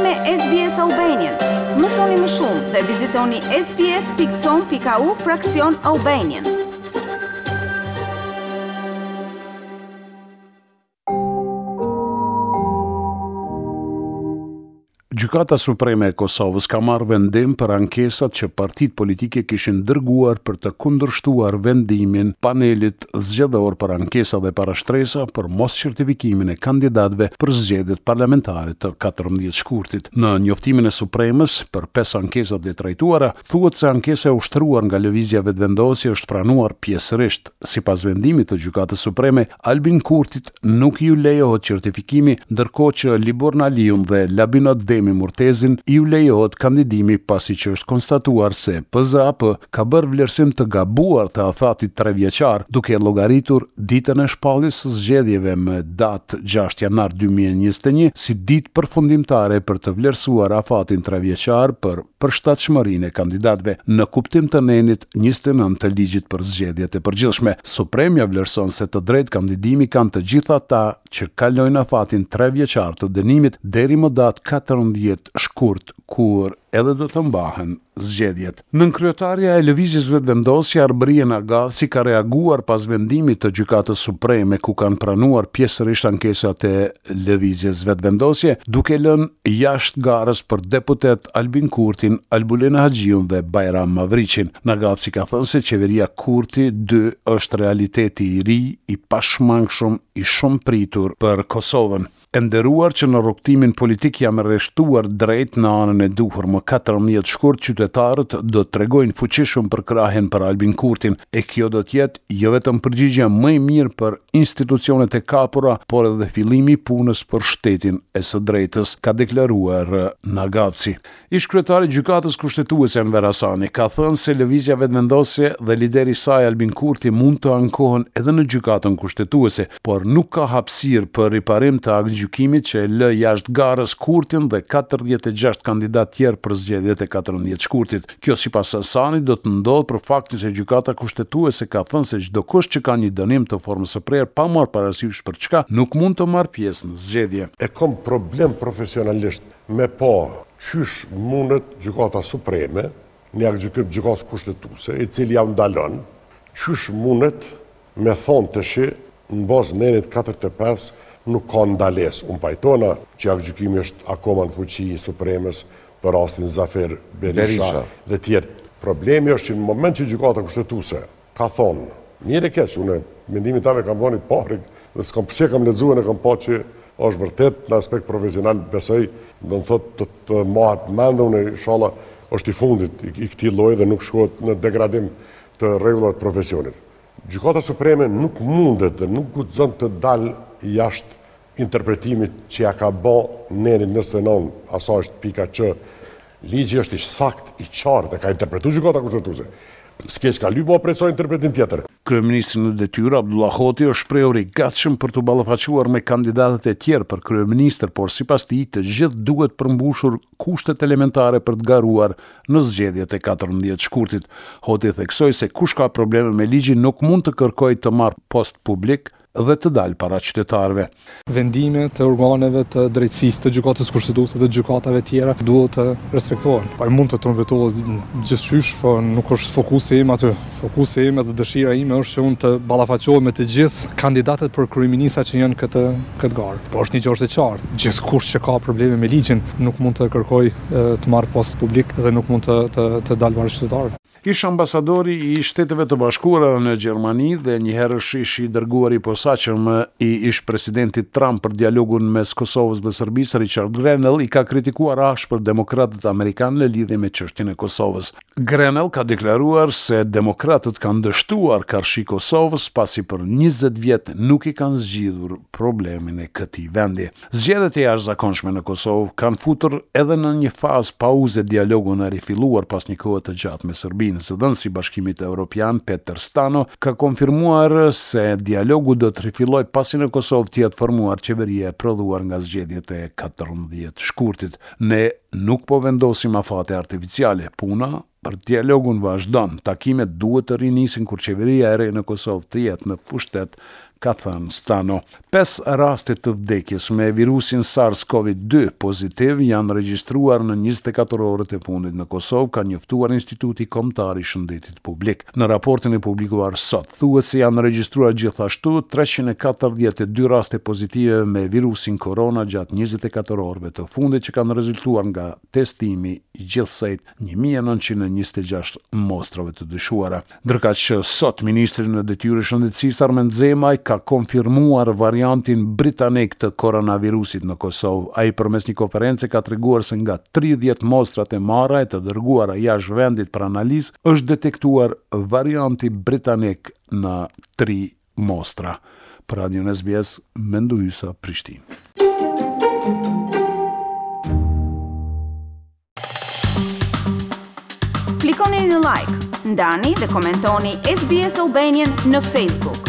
me SBS Albanian. Mësoni më shumë dhe vizitoni sbs.com.au fraksion Albanian. Gjykata Supreme e Kosovës ka marrë vendim për ankesat që partitë politike kishin dërguar për të kundërshtuar vendimin panelit zgjedhor për ankesa dhe parashtresa për moscertifikimin e kandidatëve për zgjedhjet parlamentare të 14 shkurtit. Në njoftimin e Supremes për pesë ankesat e trajtuara, thuhet se ankesa e ushtruar nga Lëvizja Vetëvendosje është pranuar pjesërisht. Sipas vendimit të Gjykatës Supreme, Albin Kurtit nuk iu lejohet certifikimi, ndërkohë që Liburn Aliun dhe Labinot Demi Murtezin iu lejohet kandidimi pasi që është konstatuar se PZAP ka bërë vlerësim të gabuar të afatit trevjeçar, duke e llogaritur ditën e shpalljes së zgjedhjeve më datë gjashtë janar 2021 si ditë përfundimtare për të vlerësuar afatin trevjeçar për përshtatshmërinë e kandidatëve, në kuptim të nenit 29 të Ligjit për Zgjedhjet e Përgjithshme. Supremja vlerëson se të drejtë kandidimi kanë të gjithë ata që kalojnë afatin trevjeçar të dënimit deri më datë 14 shkurt, kur edhe do të mbahen zgjedhjet. Nënkryetarja e Lëvizjes Vetëvendosje, Arbërie Nagavci ka reaguar pas vendimit të Gjykatës Supreme ku kanë pranuar pjesërisht ankesat e Lëvizjes Vetëvendosje, duke lënë jashtë garës për deputet Albin Kurtin, Albulena Haxhiun dhe Bajram Mavriqin. Nagavci ka thënë se qeveria Kurti 2 është realiteti i ri, i pashmangshëm, i shumëpritur për Kosovën. E nderuar që në rrugëtimin politik jam rreshtuar drejt në anën e duhur. Më 14 shkurt qytetarët do të tregojnë fuqishëm përkrahjen për Albin Kurtin, e kjo do të jetë jo vetëm përgjigja më e mirë për institucionet e kapura, por edhe fillimi i punës për shtetin e së drejtës, ka deklaruar Nagavci. Ish-kryetari i Gjykatës Kushtetuese Enver Hasani ka thënë se Lëvizja Vetëvendosje dhe lideri i saj Albin Kurti mund të ankohen edhe në Gjykatën Kushtetuese, por nuk ka hapësirë për riparim të aktgjykimit që e lë jashtë garës Kurtin dhe 46 kandidatë tjerë për zgjedhjet e 14 shkurtit. Kjo sipas Hasanit do të ndodhë për faktin se Gjykata Kushtetuese ka thënë se çdokush që ka një dënim të formës së prerë pa marrë parasysh për çka nuk mund të marrë pjesë në zgjedhje. E kam problem profesionalisht me pa qysh mundet Gjykata Supreme, një aktgjykim të Gjykatës Kushtetuese, i cili jau ndalon, qysh mundet me thonë tashi në bazë nenit 45 nuk ka ndalesë. Unë pajtona që aktgjykimi është akoma në fuqi i Supremes për rastin Zafer Berisha dhe tjerë. Problemi është që në moment që Gjykata Kushtetuese ka thonë, mirë e keq, unë mendimin tem e kam thonë i pari dhe s'kam pse kam lexuar e kam pa që është vërtet në aspekt profesional, besoj, do të thotë të, të mahet mend unë inshallah është i fundit i, i këtij lloji dhe nuk shkohet në degradim të rregullave të profesionit. Gjykata Supreme nuk mundet dhe nuk guxon të dalë jashtë interpretimit që ja ka bo nenit 29, asaj është pika që ligji është i sakt, i qartë, dhe ka interpretu Gjykata Kushtetuese. S'ke çka lyp ma prej saj interpretim tjetër. Kryeministri në detyrë, Abdullah Hoti, është shprehur i gatshëm për t'u ballafaquar me kandidatët e tjerë për kryeministër, por sipas tij, të gjithë duhet përmbushur kushtet elementare për të garuar në zgjedhjet e 14 shkurtit. Hoti theksoi se kush ka probleme me ligjin nuk mund të kërkojë të marrë post publik dhe të dalë para qytetarëve. Vendime të organeve të drejtësisë, të gjykatës kushtetuese dhe gjykatave tjera duhet të respektohen. Ai mund të trumbetohet gjithqysh, po nuk është fokusi im aty. Fokusi im edhe dëshira ime është që unë të ballafaqohem me të gjithë kandidatët për kryeministra që janë këtë këtë garë. Po është një gjë është e qartë, gjithkush që ka probleme me ligjin nuk mund të kërkojë të marrë post publik dhe nuk mund të të të dalë para qytetarëve. Ish-ambasadori i Shteteve të Bashkuara në Gjermani dhe njëherësh ish i dërguari i posaçëm i ish-presidentit Trump për dialogun mes Kosovës dhe Serbisë, Richard Grenell, i ka kritikuar ashpër demokratët amerikanë në lidhje me çështjen e Kosovës. Grenell ka deklaruar se demokratët kanë dështuar karshi Kosovës pasi për 20 vjet nuk i kanë zgjidhur problemin e këtij vendi. Zgjedhjet e jashtëzakonshme në Kosovë kanë futur edhe në një fazë pauze dialogun e rifilluar pas një kohe të gjatë me Serbinë. Zëdhënësi i Bashkimit Evropian, Peter Stano, ka konfirmuar se dialogu do të rifillojë pasi në Kosovë të jetë formuar qeveria e prodhuar nga zgjedhjet e 14 shkurtit. Ne nuk po vendosim afate artificiale, puna për dialogun vazhdon, takimet duhet të rinisin kur qeveria e re në Kosovë të jetë në pushtet, Ka thënë Stano. Pesë raste të vdekjes me virusin SARS-CoV-2 pozitiv janë regjistruar në 24 orët e fundit në Kosovë, ka njoftuar Instituti Kombëtar i Shëndetit Publik. Në raportin e publikuar sot, thuhet se janë regjistruar gjithashtu 342 raste pozitive me virusin korona gjatë 24 orëve të fundit që kanë rezultuar nga testimi i gjithsejt 1926 mostrave të dyshuara. Ndërkaq sot ministri në detyrë i Shëndetësisë Armend Zemaj ka konfirmuar variantin britanik të koronavirusit në Kosovë. Ai përmes një konference ka treguar se nga 30 mostrat e marra e të dërguara jashtë vendit për analizë është detektuar varianti britanik në tri mostra. Për Radion SBS, Mendu Hysa, Prishtinë. Klikoni në like, ndani dhe komentoni SBS Albanian në Facebook.